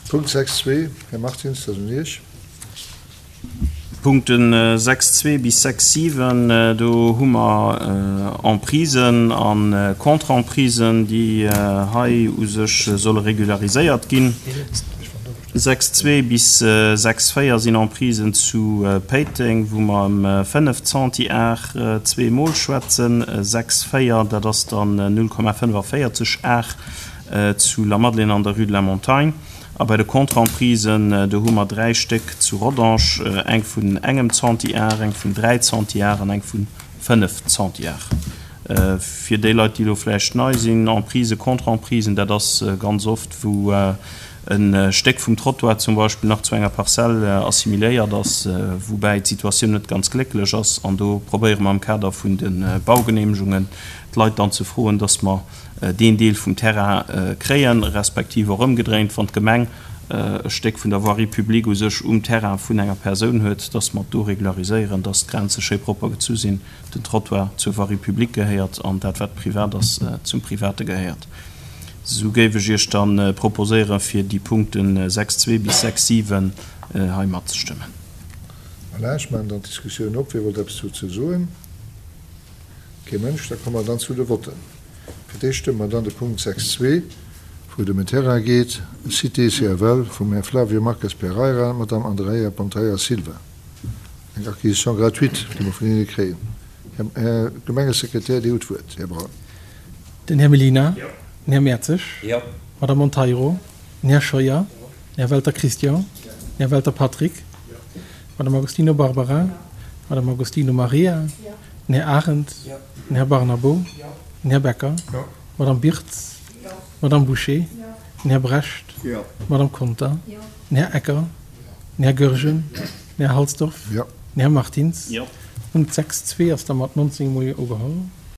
Punkt 6.2, Här Martins, dat ass un Iech. D'Punkten 6.2 bis 6.7, do hu mer Emprisen a Contre-emprisen, déi hei u sech solle regulariséiert ginn. 6.2 bis 6.4 sinn Emprisen zu Péiteng, wou mer ëm 5 Centiar zweemol schwätzen. 6.4, dat ass dann 0,45 Ar zu Lamadelaine an der Rue de la Montagne. A bei de Contre-emprisen, do hu mer 3 Stéck zu Rodange, eng vun engem Centiar, eng vun 3 Centiar an eng vu 5 Centiar. Fir déi Leit, déi elo vläicht nei sinn, Emprisen, Contre-emprisen, dat ass ganz oft, wou e Stéck vum Trottoir zum Beispill nach zu enger Parzell assimiléiert ass, woubäi d'Situatioun net ganz glécklech ass. An do probéiere mer am Kader vun de Baugeneemegungen d'Leit dann ze froen, dass mer deen Deel vum Terrain kréien, respektiv och ëmgedréint, wann d'Gemeng e Stéck vun der Voirie publique u sech um Terrain vun enger Persoun huet, dass mer et do regulariséieren, dass d'Grenze schéi propper gezu sinn, den Trottoir zur Voirie publique gehéiert an dat, wat privat ass, zum Private gehéiert. Esou géif ech Iech da proposéieren, fir déi Punkte 6,2 bis 6,7 hei matzestëmmen. Voilà, ech maachen dann d'Diskussioun op. Wie wollt eppes dozou soen? Kee Mënsch. Da komme mer dann zu de Votten. Fir d'éischt stëmme mer dann de Punkt 6.2, wou et ëm en Terrain geet, Cité CFL, vum Här Flavio Marques Pereira, Madame Andreia Ponteira Silva. Eng Acquisition gratuite, déi mer vun hinne kréien. Här Gemengesekretär, Dir hutt d'Wuert, Här Braun. Den Här Mellina. Den Här Mertzig. D'Madame Monteiro. Den Här Scheuer. Den Här Welter Christian. Den Här Welter Patrick. D'Madame Agostino Barbara. D'Madame Agostino Maria. Den Här Arendt. Den Här Barnabo. Den Här Becker. D'Madame Birtz. D'Madame Bouché. Den Här Brecht. D'Madame Conter. Den Här Ecker. Den Här Goergen. Den Här Halsdorf. Den Här Martins. Punkt 6.2 ass da mat 19 mol Jo ugeholl.